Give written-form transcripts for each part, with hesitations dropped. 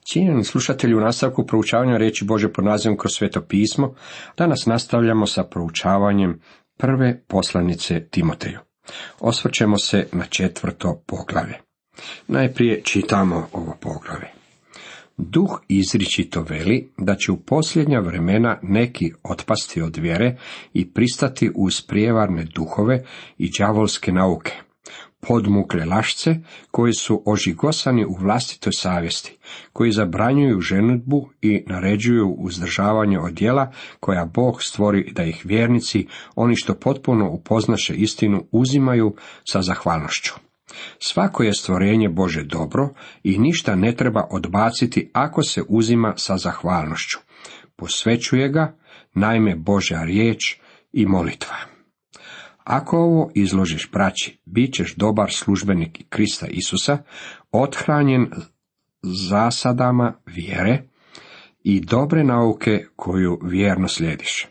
Cijenjeni slušatelji, u nastavku proučavanja riječi Božje pod nazivom Kroz sveto pismo, danas nastavljamo sa proučavanjem prve poslanice Timoteju. Osvrćemo se na 4. poglavlje. Najprije čitamo ovo poglavlje. Duh izričito veli da će u posljednja vremena neki otpasti od vjere i pristati uz prijevarne duhove i đavolske nauke, podmukle lašce koji su ožigosani u vlastitoj savjesti, koji zabranjuju ženidbu i naređuju uzdržavanje od djela koja Bog stvori da ih vjernici, oni što potpuno upoznaše istinu, uzimaju sa zahvalnošću. Svako je stvorenje Bože dobro i ništa ne treba odbaciti ako se uzima sa zahvalnošću. Posvećuje ga, naime, Božja riječ i molitva. Ako ovo izložiš braći, bit ćeš dobar službenik Krista Isusa, othranjen zasadama vjere i dobre nauke koju vjerno slijediš.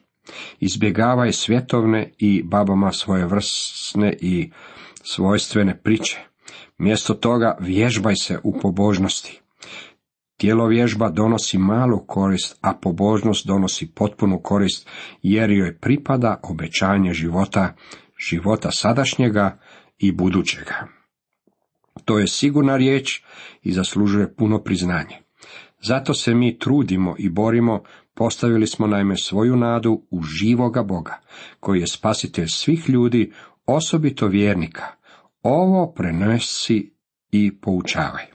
Izbjegavaj svjetovne i babama svojevrsne i svojstvene priče. Mjesto toga vježbaj se u pobožnosti. Tjelovježba donosi malu korist, a pobožnost donosi potpunu korist, jer joj pripada obećanje života sadašnjega i budućega. To je sigurna riječ i zaslužuje puno priznanje. Zato se mi trudimo i borimo, postavili smo naime svoju nadu u živoga Boga, koji je spasitelj svih ljudi, osobito vjernika. Ovo prenesi i poučavaj.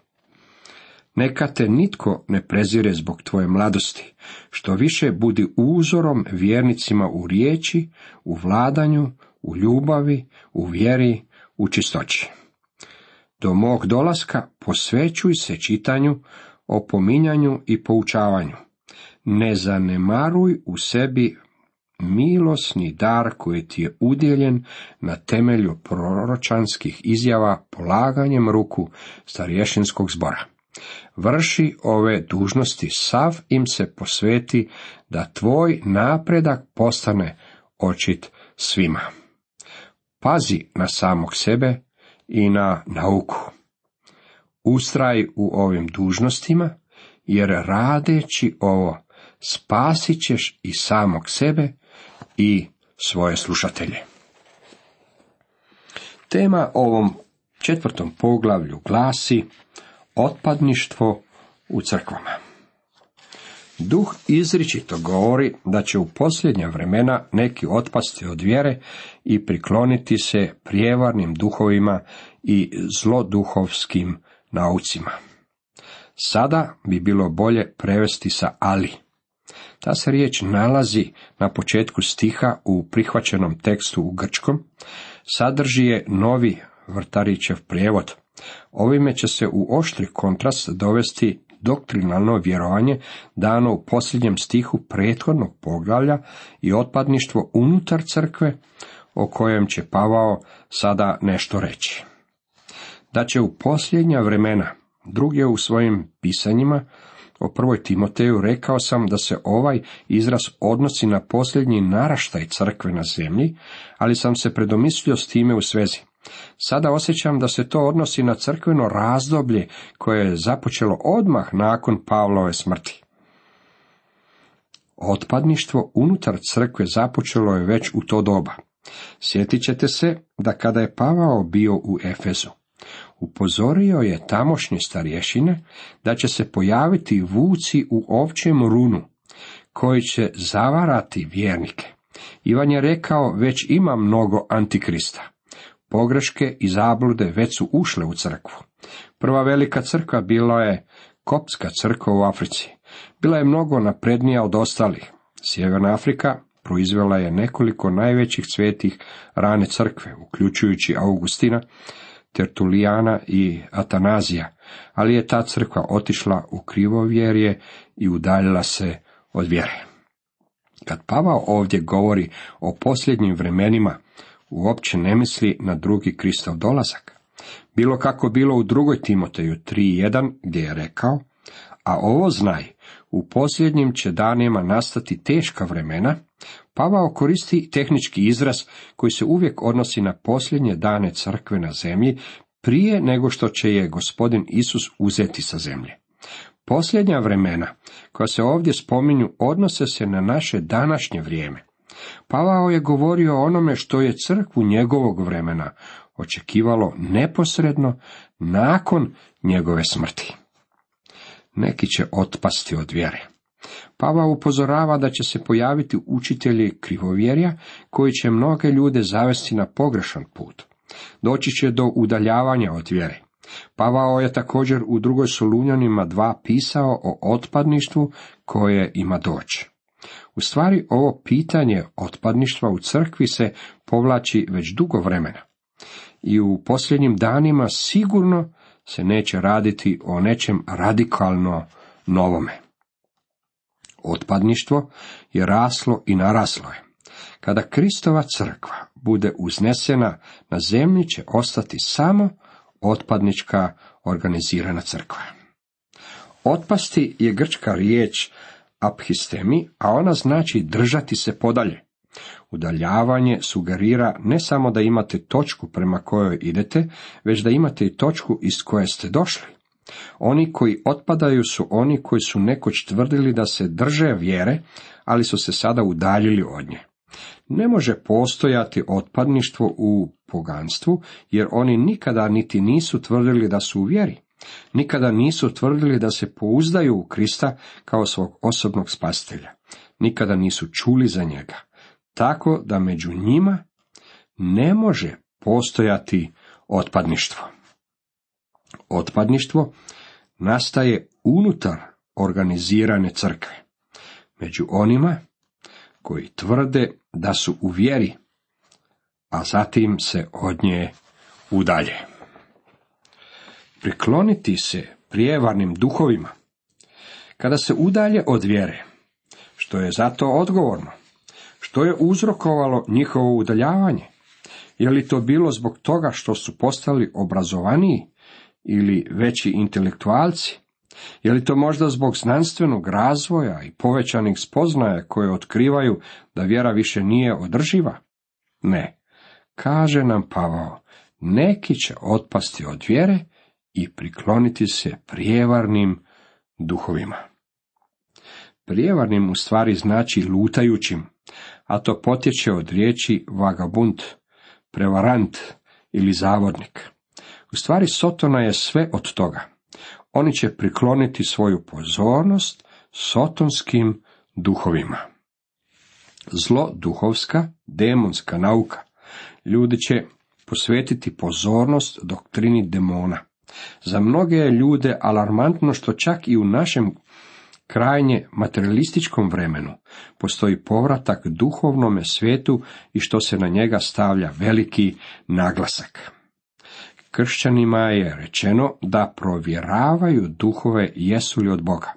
Neka te nitko ne prezire zbog tvoje mladosti, što više budi uzorom vjernicima u riječi, u vladanju, u ljubavi, u vjeri, u čistoći. Do mog dolaska posvećuj se čitanju, opominjanju i poučavanju. Ne zanemaruj u sebi milosni dar koji ti je udjeljen na temelju proročanskih izjava polaganjem ruku starješinskog zbora. Vrši ove dužnosti, sav im se posveti da tvoj napredak postane očit svima. Pazi na samog sebe i na nauku. Ustraj u ovim dužnostima, jer radeći ovo spasit ćeš i samog sebe i svoje slušatelje. Tema ovom 4. poglavlju glasi otpadništvo u crkvama. Duh izričito govori da će u posljednja vremena neki otpasti od vjere i prikloniti se prijevarnim duhovima i zloduhovskim naucima. Sada bi bilo bolje prevesti sa ali. Ta se riječ nalazi na početku stiha u prihvaćenom tekstu u grčkom, sadrži je Novi Vrtarićev prijevod. Ovime će se u oštri kontrast dovesti doktrinalno vjerovanje dano u posljednjem stihu prethodnog poglavlja i otpadništvo unutar crkve, o kojem će Pavao sada nešto reći. Da će u posljednja vremena, drugdje u svojim pisanjima o 1. Timoteju rekao sam da se ovaj izraz odnosi na posljednji naraštaj crkve na zemlji, ali sam se predomislio s time u svezi. Sada osjećam da se to odnosi na crkveno razdoblje koje je započelo odmah nakon Pavlove smrti. Otpadništvo unutar crkve započelo je već u to doba. Sjetit ćete se da kada je Pavao bio u Efezu, upozorio je tamošnje starješine da će se pojaviti vuci u ovčjem runu, koji će zavarati vjernike. Ivan je rekao, već ima mnogo antikrista. Pogreške i zablude već su ušle u crkvu. Prva velika crkva bila je koptska crkva u Africi. Bila je mnogo naprednija od ostalih. Sjeverna Afrika proizvela je nekoliko najvećih svetih rane crkve, uključujući Augustina, Tertulijana i Atanazija, ali je ta crkva otišla u krivovjerje i udaljila se od vjere. Kad Pavao ovdje govori o posljednjim vremenima, uopće ne misli na drugi Kristov dolazak. Bilo kako bilo u 2. Timoteju 3.1 gdje je rekao, a ovo znaj, u posljednjim će danima nastati teška vremena, Pavao koristi tehnički izraz koji se uvijek odnosi na posljednje dane crkve na zemlji, prije nego što će je Gospodin Isus uzeti sa zemlje. Posljednja vremena koja se ovdje spominju odnose se na naše današnje vrijeme. Pavao je govorio o onome što je crkvu njegovog vremena očekivalo neposredno nakon njegove smrti. Neki će otpasti od vjere. Pavao upozorava da će se pojaviti učitelji krivovjerja koji će mnoge ljude zavesti na pogrešan put. Doći će do udaljavanja od vjere. Pavao je također u 2. Solunjanima 2 pisao o otpadništvu koje ima doći. U stvari, ovo pitanje otpadništva u crkvi se povlači već dugo vremena. I u posljednjim danima sigurno se neće raditi o nečem radikalno novome. Otpadništvo je raslo i naraslo je. Kada Kristova crkva bude uznesena, na zemlji će ostati samo otpadnička organizirana crkva. Otpasti je grčka riječ aphistemi, a ona znači držati se podalje. Udaljavanje sugerira ne samo da imate točku prema kojoj idete, već da imate i točku iz koje ste došli. Oni koji otpadaju su oni koji su nekoć tvrdili da se drže vjere, ali su se sada udaljili od nje. Ne može postojati otpadništvo u poganstvu, jer oni nikada niti nisu tvrdili da su u vjeri. Nikada nisu tvrdili da se pouzdaju u Krista kao svog osobnog spasitelja. Nikada nisu čuli za njega. Tako da među njima ne može postojati otpadništvo. Otpadništvo nastaje unutar organizirane crkve. Među onima koji tvrde da su u vjeri, a zatim se od nje udalje. Prikloniti se prijevarnim duhovima. Kada se udalje od vjere, što je za to odgovorno? Što je uzrokovalo njihovo udaljavanje? Je li to bilo zbog toga što su postali obrazovaniji ili veći intelektualci? Je li to možda zbog znanstvenog razvoja i povećanih spoznaja koje otkrivaju da vjera više nije održiva? Ne. Kaže nam Pavao, neki će otpasti od vjere i prikloniti se prijevarnim duhovima. Prijevarnim u stvari znači lutajućim, a to potječe od riječi vagabund, prevarant ili zavodnik. U stvari Sotona je sve od toga. Oni će prikloniti svoju pozornost sotonskim duhovima. Zlo duhovska, demonska nauka. Ljudi će posvetiti pozornost doktrini demona. Za mnoge je ljude alarmantno što čak i u našem krajnje materialističkom vremenu postoji povratak duhovnome svijetu i što se na njega stavlja veliki naglasak. Kršćanima je rečeno da provjeravaju duhove jesu li od Boga,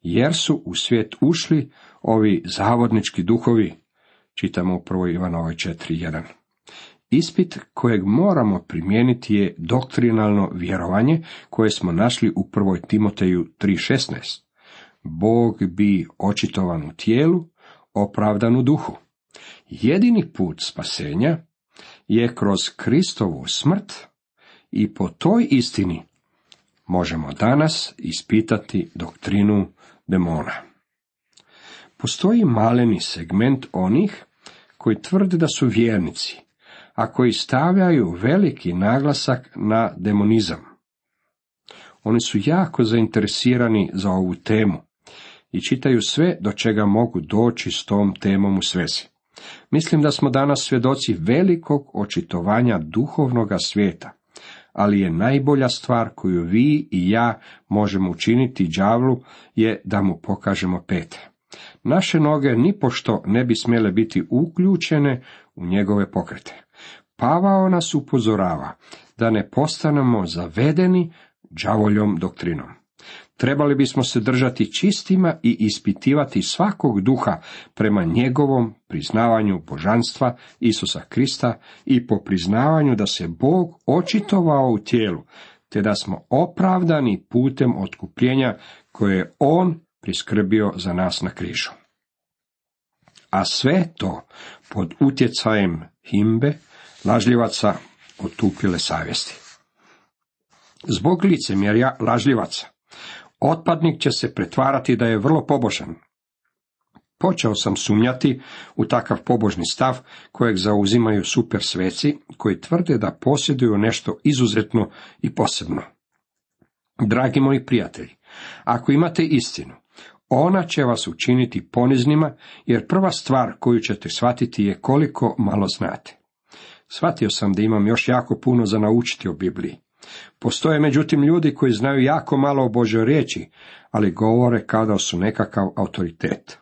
jer su u svijet ušli ovi zavodnički duhovi, čitamo u 1. Ivanovoj 4.1. Ispit kojeg moramo primijeniti je doktrinalno vjerovanje koje smo našli u 1. Timoteju 3.16. Bog bi očitovan u tijelu, opravdan u duhu. Jedini put spasenja je kroz Kristovu smrt i po toj istini možemo danas ispitati doktrinu demona. Postoji maleni segment onih koji tvrde da su vjernici, a koji stavljaju veliki naglasak na demonizam. Oni su jako zainteresirani za ovu temu i čitaju sve do čega mogu doći s tom temom u svezi. Mislim da smo danas svjedoci velikog očitovanja duhovnoga svijeta, ali je najbolja stvar koju vi i ja možemo učiniti đavlu je da mu pokažemo pete. Naše noge nipošto ne bi smjele biti uključene u njegove pokrete. Pavao nas upozorava da ne postanemo zavedeni đavoljom doktrinom. Trebali bismo se držati čistima i ispitivati svakog duha prema njegovom priznavanju božanstva Isusa Krista i po priznavanju da se Bog očitovao u tijelu, te da smo opravdani putem otkupljenja koje je On priskrbio za nas na križu. A sve to pod utjecajem himbe, lažljivaca otupile savjesti. Zbog licemjerja lažljivaca, Otpadnik će se pretvarati da je vrlo pobožan. Počeo sam sumnjati u takav pobožni stav kojeg zauzimaju super sveci koji tvrde da posjeduju nešto izuzetno i posebno. Dragi moji prijatelji, ako imate istinu, ona će vas učiniti poniznima, jer prva stvar koju ćete shvatiti je koliko malo znate. Shvatio sam da imam još jako puno za naučiti o Bibliji. Postoje međutim ljudi koji znaju jako malo o Božjoj riječi, ali govore kao da su nekakav autoritet.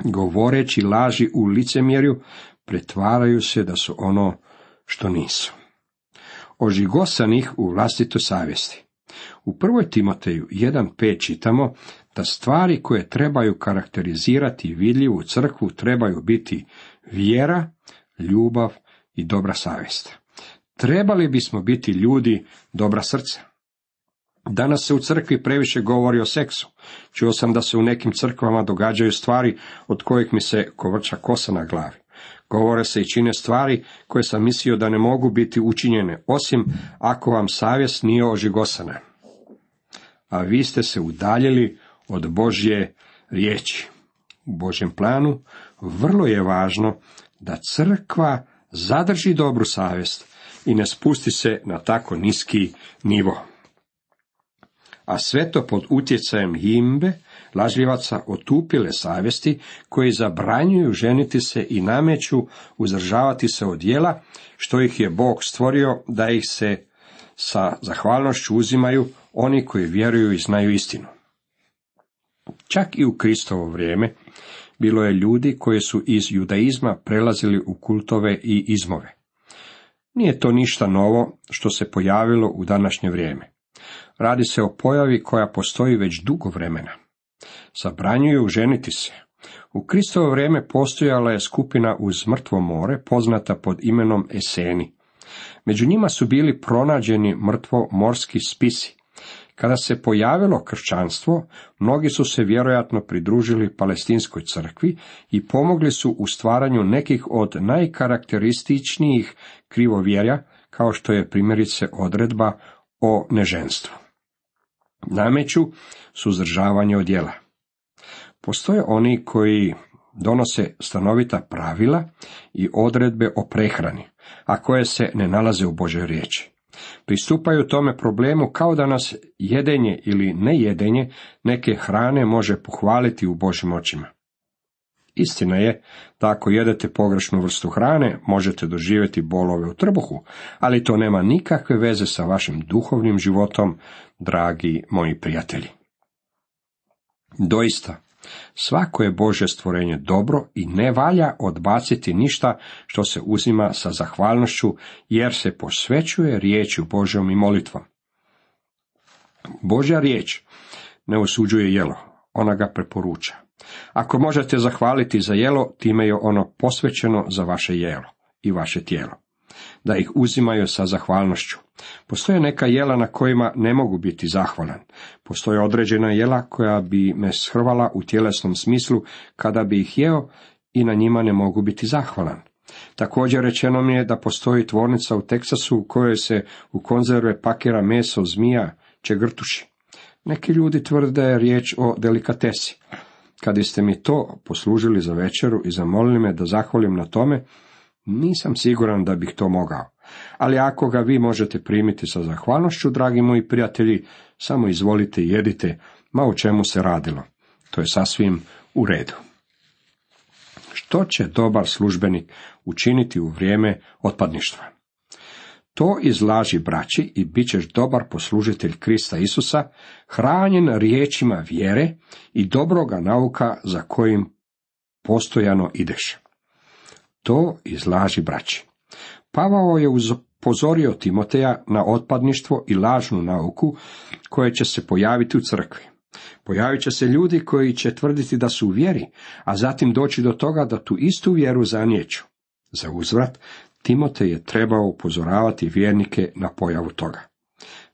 Govoreći laži u licemjerju, pretvaraju se da su ono što nisu. Ožigosanih u vlastitoj savjesti. U 1. Timoteju 1.5 čitamo da stvari koje trebaju karakterizirati vidljivu crkvu trebaju biti vjera, ljubav i dobra savjest. Trebali bismo biti ljudi dobra srca. Danas se u crkvi previše govori o seksu. Čuo sam da se u nekim crkvama događaju stvari od kojih mi se kovrča kosa na glavi. Govore se i čine stvari koje sam mislio da ne mogu biti učinjene, osim ako vam savjest nije ožigosana. A vi ste se udaljili od Božje riječi. U Božjem planu vrlo je važno da crkva zadrži dobru savjest i ne spusti se na tako niski nivo. A sve to pod utjecajem himbe, lažljivaca otupile savjesti, koji zabranjuju ženiti se i nameću uzdržavati se od djela, što ih je Bog stvorio da ih se sa zahvalnošću uzimaju oni koji vjeruju i znaju istinu. Čak i u Kristovo vrijeme bilo je ljudi koji su iz judaizma prelazili u kultove i izmove. Nije to ništa novo što se pojavilo u današnje vrijeme. Radi se o pojavi koja postoji već dugo vremena. Zabranjuju ženiti se. U Kristovo vrijeme postojala je skupina uz mrtvo more, poznata pod imenom Eseni. Među njima su bili pronađeni mrtvo morski spisi. Kada se pojavilo kršćanstvo, mnogi su se vjerojatno pridružili palestinskoj crkvi i pomogli su u stvaranju nekih od najkarakterističnijih krivovjerja, kao što je primjerice odredba o neženstvu. Nameću suzdržavanje od djela. Postoje oni koji donose stanovita pravila i odredbe o prehrani, a koje se ne nalaze u Božoj riječi. Pristupaju tome problemu kao da nas jedenje ili nejedenje neke hrane može pohvaliti u Božjim očima. Istina je da ako jedete pogrešnu vrstu hrane, možete doživjeti bolove u trbuhu, ali to nema nikakve veze sa vašim duhovnim životom, dragi moji prijatelji. Doista, svako je Božje stvorenje dobro i ne valja odbaciti ništa što se uzima sa zahvalnošću, jer se posvećuje riječju Božjom i molitvom. Božja riječ ne osuđuje jelo, ona ga preporuča. Ako možete zahvaliti za jelo, time je ono posvećeno za vaše jelo i vaše tijelo, da ih uzimaju sa zahvalnošću. Postoje neka jela na kojima ne mogu biti zahvalan. Postoje određena jela koja bi me shrvala u tjelesnom smislu kada bi ih jeo i na njima ne mogu biti zahvalan. Također rečeno mi je da postoji tvornica u Teksasu u kojoj se u konzerve pakira meso zmija, čegrtuši. Neki ljudi tvrde da je riječ o delikatesi. Kad ste mi to poslužili za večeru i zamolili me da zahvalim na tome, nisam siguran da bih to mogao. Ali ako ga vi možete primiti sa zahvalnošću, dragi moji prijatelji, samo izvolite i jedite, ma o čemu se radilo. To je sasvim u redu. Što će dobar službenik učiniti u vrijeme otpadništva? To izlaži braći i bit ćeš dobar poslužitelj Krista Isusa, hranjen riječima vjere i dobroga nauka za kojim postojano ideš. To izlaži braći. Pavao je upozorio Timoteja na otpadništvo i lažnu nauku koje će se pojaviti u crkvi. Pojavit će se ljudi koji će tvrditi da su u vjeri, a zatim doći do toga da tu istu vjeru zaniječu. Za uzvrat, Timotej je trebao upozoravati vjernike na pojavu toga.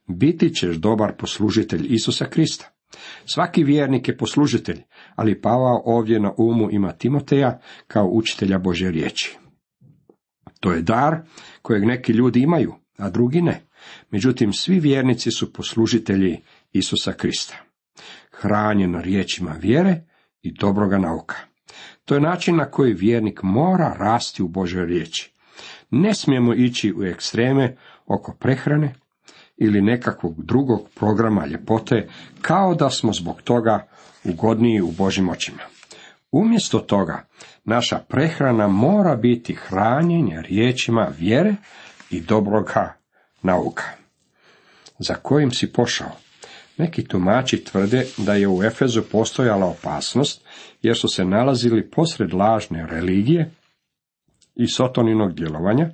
Biti ćeš dobar poslužitelj Isusa Krista. Svaki vjernik je poslužitelj, ali Pavao ovdje na umu ima Timoteja kao učitelja Božje riječi. To je dar kojeg neki ljudi imaju, a drugi ne. Međutim, svi vjernici su poslužitelji Isusa Krista. hranjen riječima vjere i dobroga nauka. To je način na koji vjernik mora rasti u Božoj riječi. Ne smijemo ići u ekstreme oko prehrane ili nekakvog drugog programa ljepote, kao da smo zbog toga ugodniji u Božjim očima. Umjesto toga, naša prehrana mora biti hranjenje riječima vjere i dobroga nauka. Za kojim si pošao? Neki tumači tvrde da je u Efezu postojala opasnost, jer su se nalazili posred lažne religije i sotoninog djelovanja,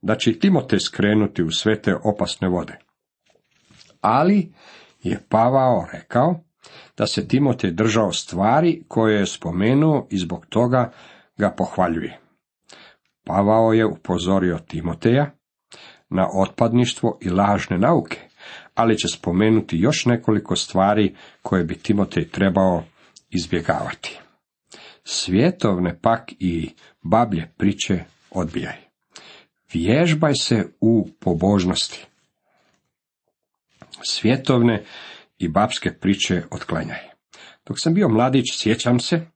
da će Timotej skrenuti u sve te opasne vode. Ali je Pavao rekao da se Timotej držao stvari koje je spomenuo i zbog toga ga pohvaljuje. Pavao je upozorio Timoteja na otpadništvo i lažne nauke, ali će spomenuti još nekoliko stvari koje bi Timotej trebao izbjegavati. Svjetovne pak i bablje priče odbijaj. Vježbaj se u pobožnosti. Svjetovne i babske priče otklanjaj. Dok sam bio mladić, sjećam se,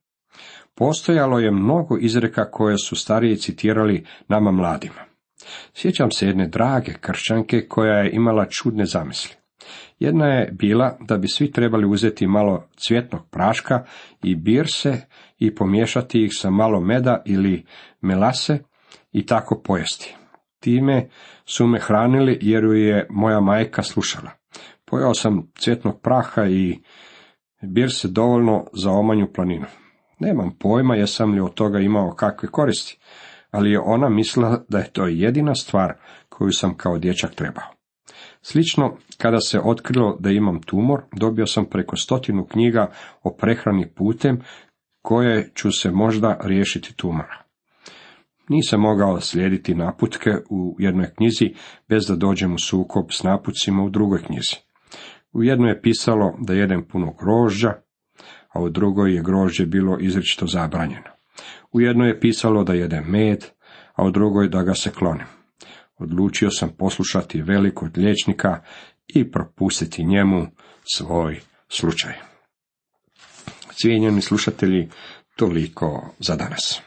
postojalo je mnogo izreka koje su stariji citirali nama mladima. Sjećam se jedne drage kršćanke koja je imala čudne zamisli. Jedna je bila da bi svi trebali uzeti malo cvjetnog praška i birse i pomiješati ih sa malo meda ili melase i tako pojesti. Time su me hranili jer ju je moja majka slušala. Pojeo sam cvjetnog praha i birse dovoljno za omanju planinu. Nemam pojma jesam li od toga imao kakve koristi, ali je ona mislila da je to jedina stvar koju sam kao dječak trebao. Slično, kada se otkrilo da imam tumor, dobio sam preko 100 knjiga o prehrani putem koje ću se možda riješiti tumora. Nisam mogao slijediti naputke u jednoj knjizi bez da dođem u sukob s napucima u drugoj knjizi. U jednoj je pisalo da jedem puno grožđa, a u drugoj je grožđe bilo izričito zabranjeno. U jednoj je pisalo da jedem med, a u drugoj da ga se klonim. Odlučio sam poslušati velikog liječnika i propustiti njemu svoj slučaj. Cijenjeni slušatelji, toliko za danas.